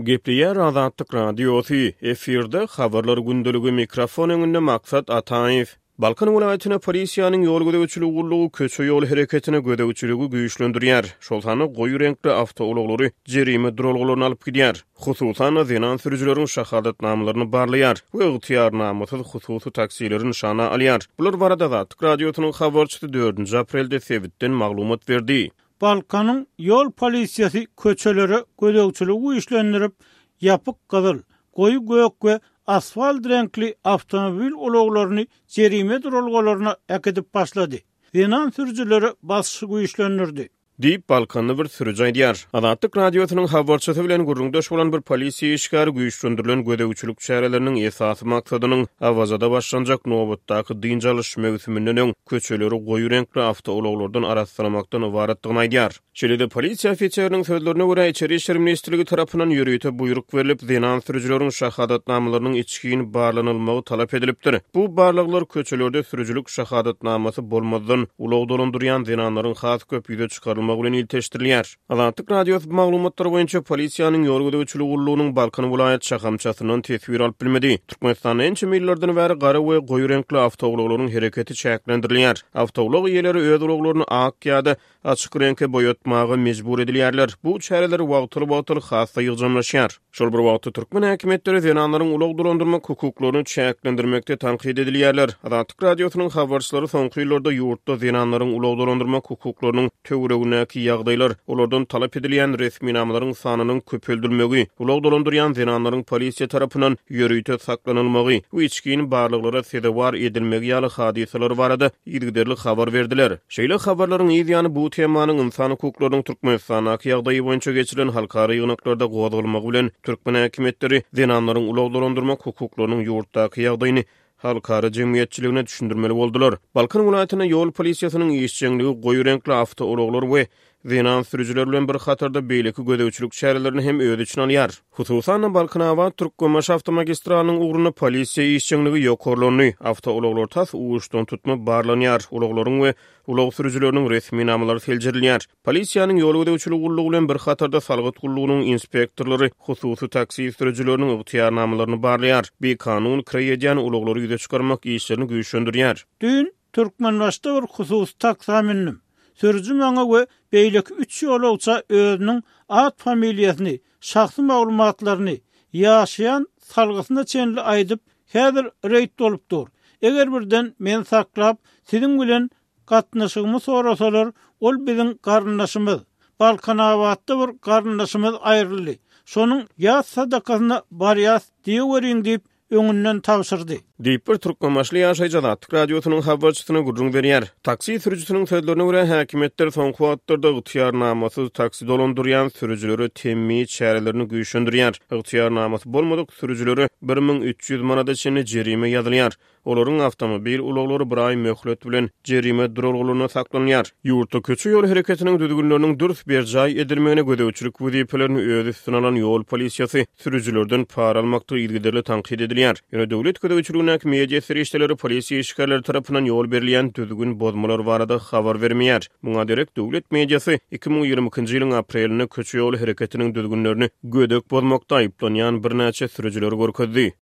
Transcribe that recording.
Gepleýär Azatlyk Radiosy, efirde Habarlar gündeligi, mikrofon öňünde Maksat Ataýew. Balkan welaýatynda polisiýanyň ýol gözegçiligi gullugy köçe-ýol hereketine gözegçiligi güýçlendirýär, şol sanda goýy reňkli awtoulaglary jerime duralgalaryna alyp gidýär. Hususan-da, zenan sürüjileriň şahadatnamalaryny barlaýar we ygtyýarnamasyz hususy taksileri nyşana alýar. Bular barada Azatlyk Radiosynyň habarçysy dördünji aprelde sebitden maglumat berdi. Balkanyň ýol polisiýasy köçelere gözegçiligi güýçlendirip, ýapyk gyzyl, goýy gök we asfalt reňkli awtomobil ulaglaryny jerime duralgalaryna äkidip başlady. Zenan sürüjilere basyşy güýçlendirdi. Diýip, balkanly bir sürüji aýdýar. Azatlyk Radiosynyň habarçysy bilen gürrüňdeş bolan bir polisiýa işgäri güýçlendirilen gözegçilik çäreleriniň esasy maksadynyň Awazada başlanjak nobatdaky dynç alyş möwsüminden öň köçeleri goýy reňkli awtoulaglardan arassalamakdan ybaratdygyny aýdýar. Şeýle-de, polisiýa ofiseriniň sözlerine görä, Içeri işler ministrligi tarapyndan ýörite buýruk berlip, zenan sürüjileriň şahadatnamalarynyň içgin barlanylmagy talap edilipdir. Bu barlaglar köçelerde sürüjilik şahadatnamasy bolmazdan ulag dolandyrýan zenanlaryň has köp ýüze çykarylmagy bilen ilteşdirilýär. Azatlyk Radiosy bu maglumatlar boýunça polisiýanyň ýol gözegçiligi gullugynyň Balkan welaýat şahamçasyndan teswir alyp bilmedi. Türkmenistanda ençeme ýyllardan bäri gara we goýy reňkli awtoulaglaryň hereketi çäklendirilýär. Awtoulag eýeleri öz ulaglaryny ak ýa-da açyk reňke boýatmaga mejbur edilýärler. Bu çäreler wagtal-wagtal has-da ýygjamlaşýar. Şol bir wagtda, türkmen häkimiýetleri zenanlaryň ulag dolandyrmak hukuklaryny çäklendirmekde tankyt edilýärler. Azatlyk Radiosynyň habarçylary soňky ýyllarda ýurtda zenanlaryň ulag dolandyrmak hukuklarynyň töweregindäki ýagdaýlar, olardan talap edilýän resminamalaryň sanynyň köpeldilmegi, ulag dolandyrýan zenanlaryň polisiýa tarapyndan ýörite saklanylmagy we içgin barlaglara sezewar edilmegi ýaly hadysalar barada yzygiderli habar berdiler. Şeýle habarlaryň yz ýany bu temanyň ynsan hukuklarynyň Türkmenistandaky ýagdaýy boýunça geçirilen halkara ýygnaklarda gozgalmagy bilen, türkmen häkimiýetleri zenanlaryň ulag dolandyrmak hukuklarynyň ýurtdaky ýagdaýyny halkara jemgyýetçiligine düşündirmeli boldular. Balkan welaýatynda ýol polisiýasynyň işjeňligi goýy reňkli awtoulaglar we zenan sürüjiler bilen bir hatarda beýleki gözegçilik çärelerini hem öz içine alýar. Hususan-da, Balkanabat, Türkmenbaşy awtomagistralynyň ugrunda polisiýa işjeňligi ýokarlandy, awtoulaglar tas uçdantutma barlanýar, ulaglaryň we ulag sürüjileriniň resminamalary seljerilýär. Polisiýanyň ýol gözegçiligi gullugy bilen bir hatarda salgyt gullugynyň inspektorlary hususy taksi sürüjileriniň ygtyýarnamalaryny barlaýar, bikanun kireý edýän ulaglary ýüze çykarmak işlerini güýçlendirýär. Düýn Türkmenbaşyda bir hususy taksa mündüm. Sürüji maňa we beýleki üç ýolagça özüniň at-familiýasyny, şahsy maglumatlaryny, ýaşaýan salgysyna çenli aýdyp, häzir reýd bolup dur. Eger birden meni saklap, siziň bilen gatnaşygymy sorasalar, ol biziň garyndaşymyz. Balkanabatda bir garyndaşymyz aýryldy. Şonuň ýas sadakasyna barýas diýeweriň diýip, öňünden tabşyrdy. Diýip, bir türkmenbaşyly ýaşaýjy Azatlyk Radiosynyň habarçysyna gürrüň berýär. Taksi sürüjisiniň sözlerine görä, häkimiýetler soňky wagtlarda ygtyýarnamasyz taksi dolandyrýan sürüjilere temmi çärelerini güýçlendirýär. Ygtyýarnamasy bolmadyk sürüjilere 1300 manada çenli jerime ýazylýar. Olaryň awtomobil ulaglary bir aý möhlet bilen jerime duralgalarynda saklanylýar. Ýurtda köçe-ýol hereketiniň düzgünleriniň dürs berjaý edilmegine gözegçilik wezipelerini öz üstüne alan ýol polisiýasy sürüjilerden para almakda yzygiderli tankyt edilýär. Ýöne döwlet gözegçiligindäki media serişdeleri polisiýa işgärleri tarapyndan ýol berilýän düzgün bozmalar barada habar bermeýär. Muňa derek döwlet mediasy 2022-nji ýylyň aprelinde köçe-ýol hereketiniň düzgünlerini gödek bozmakda aýyplanýan birnäçe sürüjileri görkezdi.